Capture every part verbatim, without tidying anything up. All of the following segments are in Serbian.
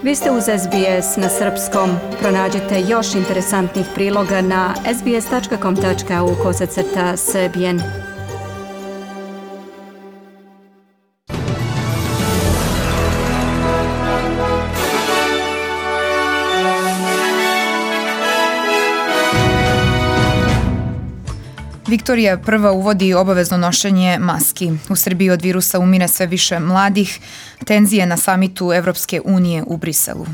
Vi ste uz S B S na srpskom. Pronađite još interesantnih priloga na sbs.com tačka au kosacrta srbijen. Viktorija prva uvodi obavezno nošenje maski. U Srbiji od virusa umire sve više mladih. Tenzije na samitu Evropske unije u Briselu.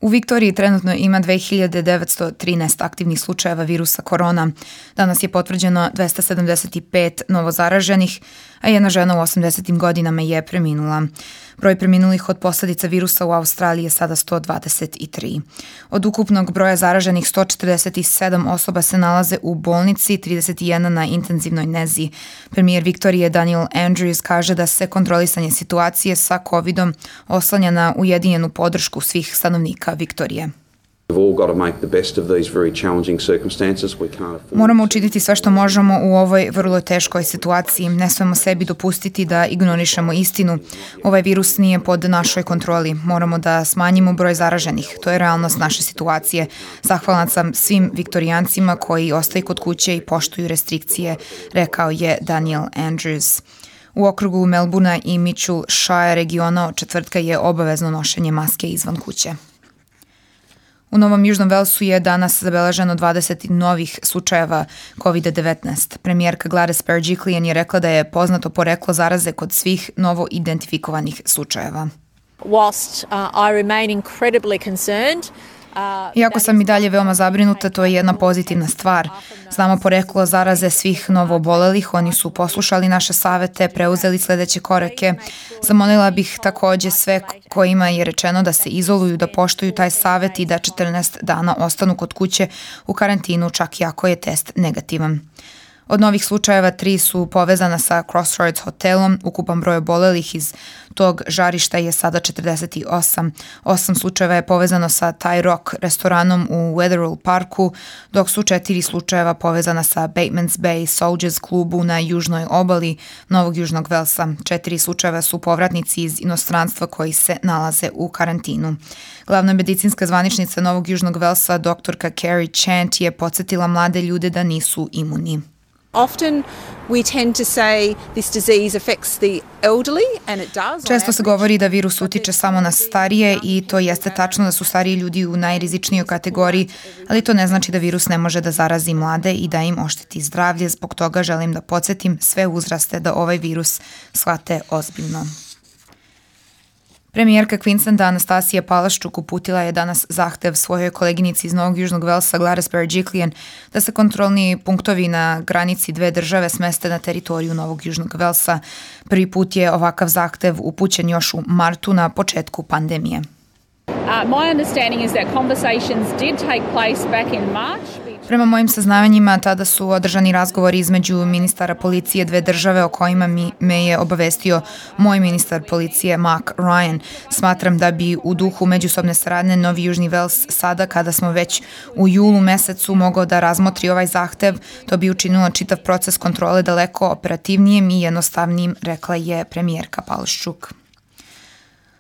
U Viktoriji trenutno ima dve hiljade devetsto trinaest aktivnih slučajeva virusa korona. Danas je potvrđeno dvesta sedamdeset pet novozaraženih, a jedna žena u osamdesetim godinama je preminula. Broj preminulih od posledica virusa u Australiji je sada sto dvadeset tri. Od ukupnog broja zaraženih sto četrdeset sedam osoba se nalaze u bolnici, trideset jedna na intenzivnoj nezi. Premijer Viktorije Daniel Andrews kaže da se kontrolisanje situacije sa covidom oslanja na ujedinjenu podršku svih stanovnika Viktorije. Moramo učiniti sve što možemo u ovoj vrlo teškoj situaciji. Ne smemo sebi dopustiti da ignorišemo istinu. Ovaj virus nije pod našoj kontroli. Moramo da smanjimo broj zaraženih. To je realnost naše situacije. Zahvalan sam svim Viktorijancima koji ostaju kod kuće i poštuju restrikcije, rekao je Daniel Andrews. U okrugu Melbourna i Mitchell Shire regiona od četvrtka je obavezno nošenje maske izvan kuće. U Novom Južnom Velsu je danas zabeleženo dvadeset novih slučajeva kovid devetnaest. Premijerka Gladys Berejiklian je rekla da je poznato poreklo zaraze kod svih novo identifikovanih slučajeva. Whilst uh, I remain incredibly concerned, Iako sam i dalje veoma zabrinuta, to je jedna pozitivna stvar. Znamo poreklo zaraze svih novoobolelih, oni su poslušali naše savete, preuzeli sledeće korake. Zamolila bih takođe sve kojima je rečeno da se izoluju, da poštuju taj savet i da četrnaest dana ostanu kod kuće u karantinu, čak i ako je test negativan. Od novih slučajeva tri su povezana sa Crossroads hotelom, ukupan broj obolelih iz tog žarišta je sada četrdeset osam. Osam slučajeva je povezano sa Thai Rock restoranom u Wetherill Parku, dok su četiri slučajeva povezana sa Batemans Bay Soldiers klubu na južnoj obali Novog Južnog Velsa. Četiri slučajeva su povratnici iz inostranstva koji se nalaze u karantinu. Glavna medicinska zvaničnica Novog Južnog Velsa, doktorka Carrie Chant, je podsjetila mlade ljude da nisu imuni. Often we tend to say this disease affects the elderly and it does. Često se govori da virus utiče samo na starije i to jeste tačno da su stariji ljudi u najrizičnijoj kategoriji, ali to ne znači da virus ne može da zarazi mlade i da im ošteti zdravlje. Zbog toga želim da podsjetim sve uzraste da ovaj virus shvate ozbiljno. Premijerka Queensland Anastasija Palaszczuk uputila je danas zahtev svojoj koleginici iz Novog Južnog Velsa Gladys Berejiklian da se kontrolni punktovi na granici dve države smeste na teritoriju Novog Južnog Velsa. Prvi put je ovakav zahtev upućen još u martu na početku pandemije. Uh, my understanding is that conversations did take place back in March. Prema mojim saznavanjima, tada su održani razgovori između ministara policije dve države o kojima mi, me je obavestio moj ministar policije Mark Ryan. Smatram da bi u duhu međusobne saradnje Novi Južni Vels sada, kada smo već u julu mesecu, mogao da razmotri ovaj zahtev. To bi učinilo čitav proces kontrole daleko operativnijim i jednostavnijim, rekla je premijerka Palaszczuk.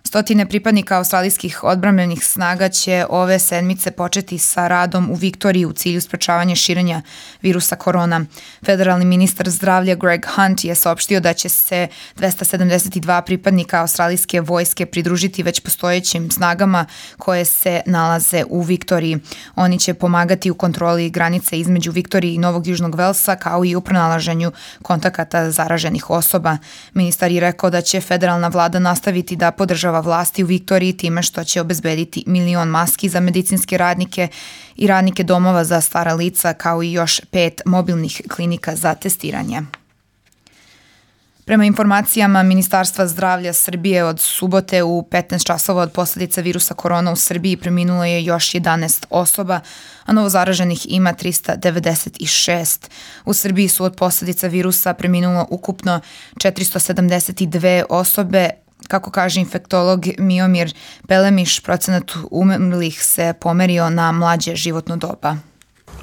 Stotine pripadnika australijskih odbrambenih snaga će ove sedmice početi sa radom u Viktoriji u cilju sprečavanja širenja virusa korona. Federalni ministar zdravlja Greg Hunt je saopštio da će se dvesta sedamdeset dva pripadnika australijske vojske pridružiti već postojećim snagama koje se nalaze u Viktoriji. Oni će pomagati u kontroli granice između Viktorije i Novog Južnog Velsa, kao i u pronalaženju kontakata zaraženih osoba. Ministar je rekao da će federalna vlada nastaviti da podržava vlasti u Viktoriji time što će obezbediti milion maski za medicinske radnike i radnike domova za stara lica, kao i još pet mobilnih klinika za testiranje. Prema informacijama Ministarstva zdravlja Srbije, od subote u petnaest časova od posledica virusa korona u Srbiji preminulo je još jedanaest osoba, a novozaraženih ima trista devedeset šest. U Srbiji su od posledica virusa preminulo ukupno četiristo sedamdeset dve osobe, Kako kaže infektolog Miomir Pelemiš, procenat umrlih se pomerio na mlađe životno doba.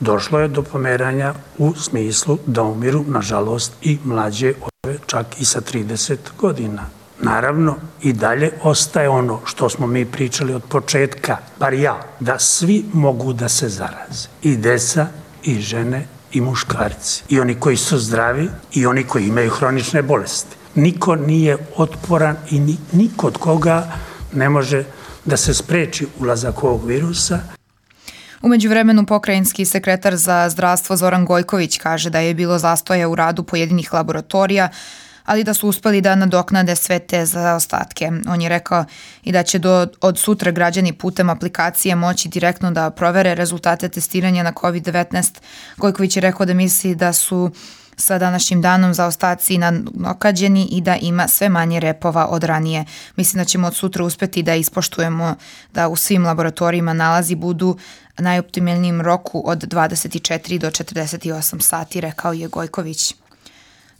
Došlo je do pomeranja u smislu da umiru, nažalost, i mlađe osobe, čak i sa trideset godina. Naravno, i dalje ostaje ono što smo mi pričali od početka, bar ja, da svi mogu da se zaraze. I deca, i žene, i muškarci. I oni koji su zdravi, i oni koji imaju hronične bolesti. Niko nije otporan i ni, niko od koga ne može da se spreči ulazak ovog virusa. U međuvremenu pokrajinski sekretar za zdravstvo Zoran Gojković kaže da je bilo zastoja u radu pojedinih laboratorija, ali da su uspeli da nadoknade sve te zaostatke. On je rekao i da će do, od sutra građani putem aplikacije moći direktno da provere rezultate testiranja na kovid devetnaest. Gojković je rekao da misli da su sa današnjim danom zaostaci nadoknađeni i da ima sve manje repova od ranije. Mislim da ćemo od sutra uspeti da ispoštujemo da u svim laboratorijima nalazi budu najoptimalnijem roku od dvadeset četiri do četrdeset osam sati, rekao je Gojković.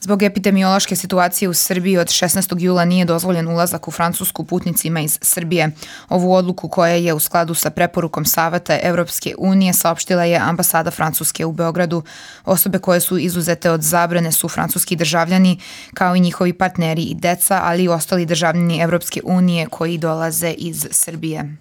Zbog epidemiološke situacije u Srbiji od šesnaestog jula nije dozvoljen ulazak u Francusku putnicima iz Srbije. Ovu odluku koja je u skladu sa preporukom Saveta Evropske unije saopštila je ambasada Francuske u Beogradu. Osobe koje su izuzete od zabrane su francuski državljani kao i njihovi partneri i deca, ali i ostali državljani Evropske unije koji dolaze iz Srbije.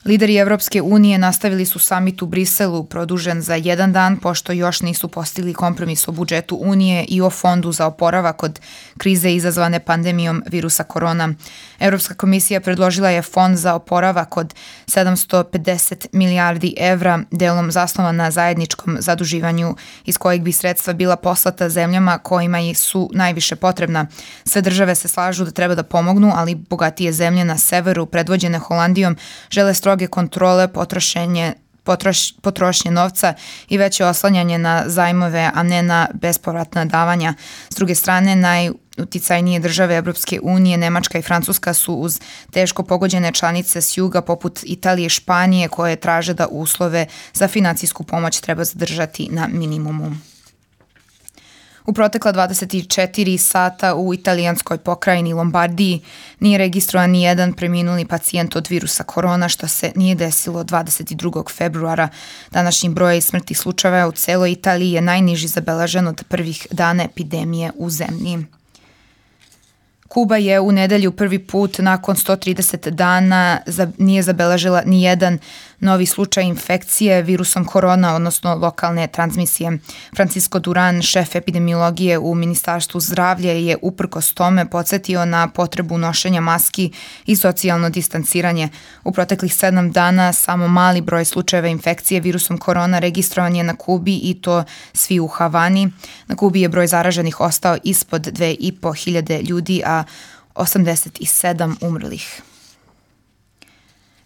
Lideri Evropske unije nastavili su samit u Briselu produžen za jedan dan pošto još nisu postigli kompromis o budžetu Unije i o fondu za oporavak od krize izazvane pandemijom virusa korona. Evropska komisija predložila je fond za oporavak od sedamsto pedeset milijardi evra, delom zasnovan na zajedničkom zaduživanju iz kojeg bi sredstva bila poslata zemljama kojima su najviše potrebna. Sve države se slažu da treba da pomognu, ali bogatije zemlje na severu, predvođene Holandijom, žele stroge kontrole, potrošenje, potroš, potrošnje novca i veće oslanjanje na zajmove, a ne na bespovratna davanja. S druge strane, najuticajnije države Evropske unije, Nemačka i Francuska su uz teško pogođene članice s juga poput Italije i Španije koje traže da uslove za finansijsku pomoć treba zadržati na minimumu. U protekla dvadeset četiri sata u italijanskoj pokrajini Lombardiji nije registrovan ni jedan preminuli pacijent od virusa korona, što se nije desilo dvadeset drugog februara. Današnji broj smrtnih slučajeva u celoj Italiji je najniži zabeležen od prvih dana epidemije u zemlji. Kuba je u nedelju prvi put nakon sto trideset dana nije zabeležila ni jedan novi slučaj infekcije virusom korona, odnosno lokalne transmisije. Francisco Duran, šef epidemiologije u Ministarstvu zdravlja, je uprkos tome podsjetio na potrebu nošenja maski i socijalno distanciranje. U proteklih sedam dana samo mali broj slučajeva infekcije virusom korona registrovan je na Kubi i to svi u Havani. Na Kubi je broj zaraženih ostao ispod dve i po hiljade ljudi, a osamdeset sedam umrlih.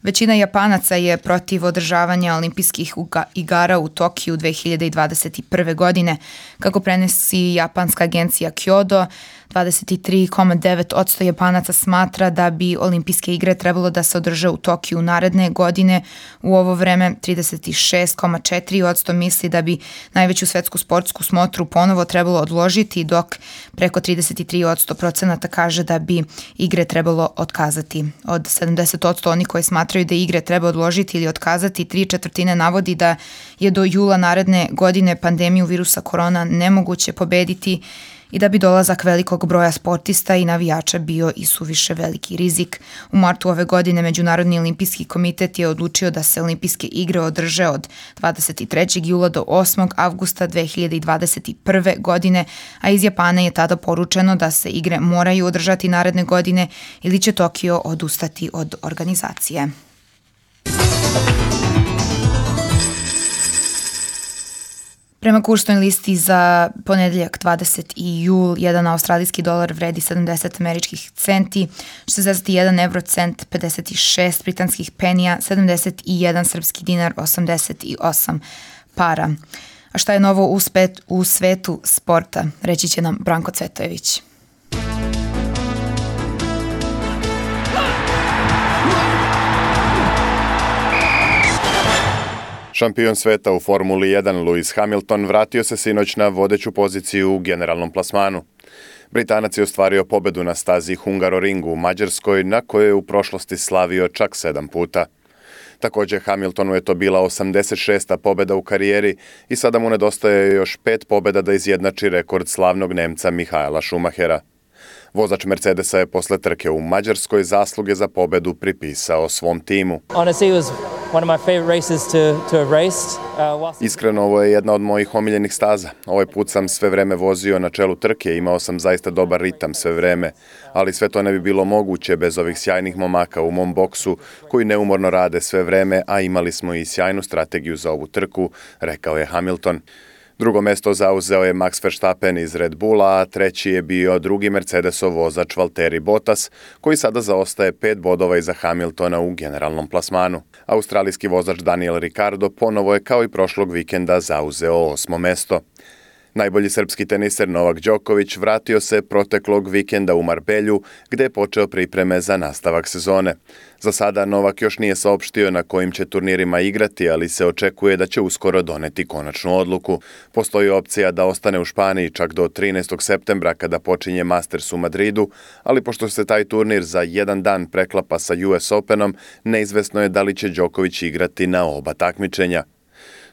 Većina Japanaca je protiv održavanja olimpijskih igara u Tokiju dve hiljade dvadeset prve. godine. Kako prenosi japanska agencija Kyodo, dvadeset tri zarez devet posto Japanaca smatra da bi olimpijske igre trebalo da se održe u Tokiju naredne godine. U ovo vreme trideset šest zarez četiri posto misli da bi najveću svetsku sportsku smotru ponovo trebalo odložiti, dok preko trideset tri procenata kaže da bi igre trebalo otkazati. Od sedamdeset posto oni koji smatraju da igre treba odložiti ili otkazati, tri četvrtine navodi da je do jula naredne godine pandemiju virusa korona nemoguće pobediti i da bi dolazak velikog broja sportista i navijača bio i suviše veliki rizik. U martu ove godine Međunarodni olimpijski komitet je odlučio da se olimpijske igre održe od dvadeset trećeg jula do osmog avgusta dve hiljade dvadeset prve. godine, a iz Japana je tada poručeno da se igre moraju održati naredne godine ili će Tokio odustati od organizacije. Prema kursnoj listi za ponedeljak dvadeseti jul, jedan australijski dolar vredi sedamdeset američkih centi, šezdeset jedan evrocent, pedeset šest britanskih penija, sedamdeset jedan srpski dinar, osamdeset osam para. A šta je novo u, spet, u svetu sporta? Reći će nam Branko Cvetojević. Šampion sveta u Formuli jedan Lewis Hamilton vratio se sinoć na vodeću poziciju u generalnom plasmanu. Britanac je ostvario pobedu na stazi Hungaroringu u Mađarskoj, na kojoj je u prošlosti slavio čak sedam puta. Također Hamiltonu je to bila osamdeset šesta pobeda u karijeri i sada mu nedostaje još pet pobeda da izjednači rekord slavnog Nemca Michaela Schumachera. Vozač Mercedesa je posle trke u Mađarskoj zasluge za pobedu pripisao svom timu. Iskreno, ovo je jedna od mojih omiljenih staza. Ovaj put sam sve vreme vozio na čelu trke, imao sam zaista dobar ritam sve vreme, ali sve to ne bi bilo moguće bez ovih sjajnih momaka u mom boksu koji neumorno rade sve vreme, a imali smo i sjajnu strategiju za ovu trku, rekao je Hamilton. Drugo mesto zauzeo je Max Verstappen iz Red Bulla, a treći je bio drugi Mercedesov vozač Valtteri Bottas, koji sada zaostaje pet bodova iza Hamiltona u generalnom plasmanu. Australijski vozač Daniel Ricciardo ponovo je kao i prošlog vikenda zauzeo osmo mesto. Najbolji srpski teniser Novak Đoković vratio se proteklog vikenda u Marbelju, gde je počeo pripreme za nastavak sezone. Za sada Novak još nije saopštio na kojim će turnirima igrati, ali se očekuje da će uskoro doneti konačnu odluku. Postoji opcija da ostane u Španiji čak do trinaestog septembra kada počinje Masters u Madridu, ali pošto se taj turnir za jedan dan preklapa sa U S Openom, neizvesno je da li će Đoković igrati na oba takmičenja.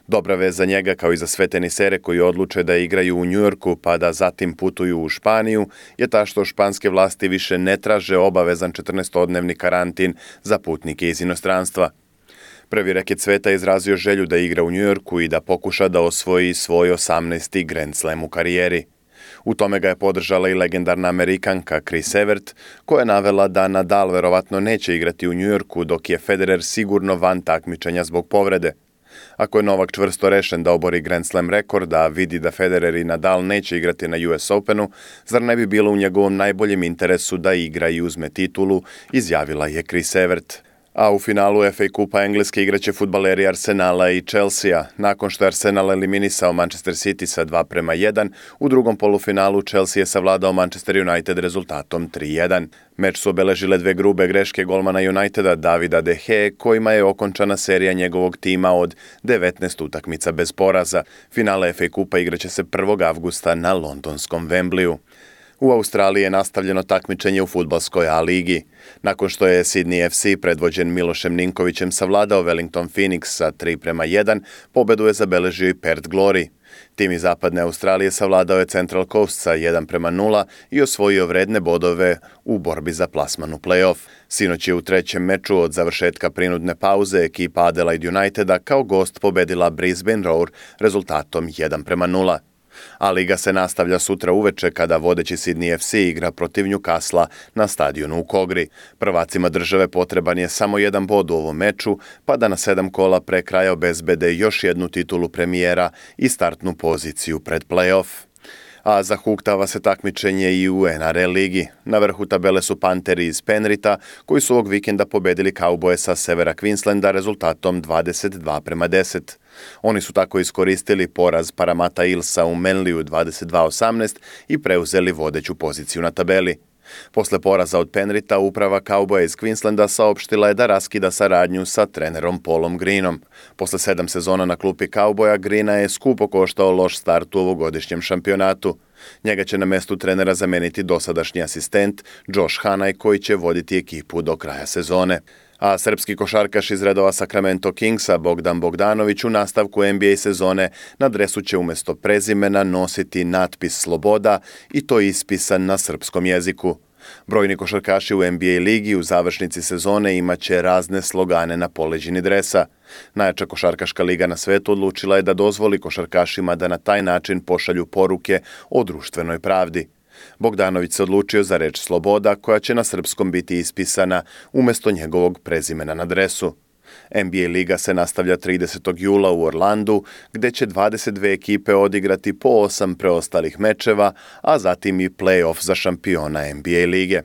Dobra vez za njega, kao i za sve tenisere koji odluče da igraju u Njujorku pa da zatim putuju u Španiju, je ta što španske vlasti više ne traže obavezan četrnaestodnevni karantin za putnike iz inostranstva. Prvi reket sveta je izrazio želju da igra u Njujorku i da pokuša da osvoji svoj osamnaesti Grand Slam u karijeri. U tome ga je podržala i legendarna Amerikanka Chris Evert, koja je navela da Nadal verovatno neće igrati u Njujorku, dok je Federer sigurno van takmičenja zbog povrede. Ako je Novak čvrsto rešen da obori Grand Slam rekord, a vidi da Federer i Nadal neće igrati na U S Openu, zar ne bi bilo u njegovom najboljem interesu da igra i uzme titulu, izjavila je Chris Evert. A u finalu F A Kupa Engleske igraće fudbaleri Arsenala i Chelsea. Nakon što je Arsenal eliminisao Manchester City sa dva prema jedan, u drugom polufinalu Chelsea je savladao Manchester United rezultatom tri jedan. Meč su obeležile dve grube greške golmana Uniteda Davida De Gea, kojima je okončana serija njegovog tima od devetnaest utakmica bez poraza. Finale F A Kupa igraće se prvog avgusta na londonskom Wembleyu. U Australiji je nastavljeno takmičenje u fudbalskoj A ligi. Nakon što je Sydney F C predvođen Milošem Ninkovićem savladao Wellington Phoenix sa tri prema jedan, pobedu je zabeležio i Perth Glory. Tim iz zapadne Australije savladao je Central Coast sa jedan prema nula i osvojio vredne bodove u borbi za plasman u play-off. Sinoć je u trećem meču od završetka prinudne pauze ekipa Adelaide Uniteda kao gost pobedila Brisbane Roar rezultatom jedan prema nula. A liga se nastavlja sutra uveče kada vodeći Sydney F C igra protiv Newcastle na stadionu u Kogri. Prvacima države potreban je samo jedan bod u ovom meču, pa da na sedam kola pre kraja obezbede još jednu titulu premijera i startnu poziciju pred play-off. A zahuktava se takmičenje i u N R L ligi. Na vrhu tabele su Panteri iz Penrita, koji su ovog vikenda pobedili Cowboye sa severa Queenslanda rezultatom dvadeset dva prema deset. Oni su tako iskoristili poraz Parramatta Eelsa u Manlyu dvadeset dva osamnaest i preuzeli vodeću poziciju na tabeli. Posle poraza od Penrita, uprava Cowboya iz Queenslanda saopštila je da raskida saradnju sa trenerom Paulom Greenom. Posle sedam sezona na klupi Cowboya, Greena je skupo koštao loš start u ovogodišnjem šampionatu. Njega će na mestu trenera zameniti dosadašnji asistent Josh Hanaj, koji će voditi ekipu do kraja sezone. A srpski košarkaš iz redova Sacramento Kingsa Bogdan Bogdanović u nastavku N B A sezone na dresu će umjesto prezimena nositi natpis Sloboda i to ispisan na srpskom jeziku. Brojni košarkaši u N B A ligi u završnici sezone imaće razne slogane na poleđini dresa. Najjača košarkaška liga na svetu odlučila je da dozvoli košarkašima da na taj način pošalju poruke o društvenoj pravdi. Bogdanović se odlučio za reč Sloboda, koja će na srpskom biti ispisana umjesto njegovog prezimena na dresu. N B A liga se nastavlja tridesetog jula u Orlandu, gde će dvadeset dve ekipe odigrati po osam preostalih mečeva, a zatim i play-off za šampiona N B A lige.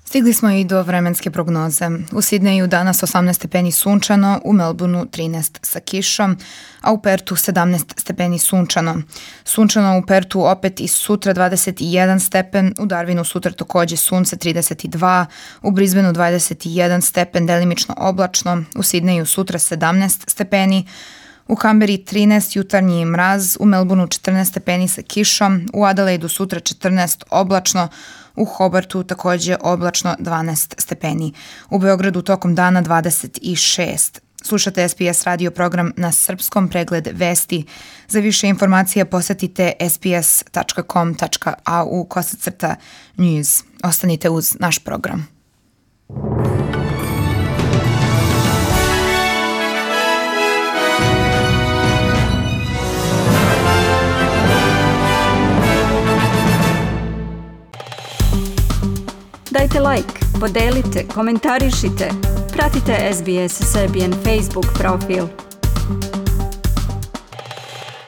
Stigli smo i do vremenske prognoze. U Sidneju danas osamnaest stepeni sunčano, u Melbourneu trinaest sa kišom, a u Pertu sedamnaest stepeni sunčano. Sunčano u Pertu opet i sutra dvadeset jedan stepen, u Darwinu sutra takođe sunce trideset dva, u Brisbaneu dvadeset jedan stepen, delimično oblačno, u Sidneju sutra sedamnaest stepeni, U Kamberi trinaest jutarnji mraz, u Melbourneu četrnaest stepeni sa kišom, u Adelaidu sutra četrnaest oblačno, u Hobartu takođe oblačno dvanaest stepeni. U Beogradu tokom dana dvadeset šest. Slušate S B S radio program na srpskom, pregled vesti. Za više informacija posetite sbs.com.au kosacrta news. Ostanite uz naš program. Dajte like, podelite, komentarišite. Pratite S B S Serbian Facebook profil.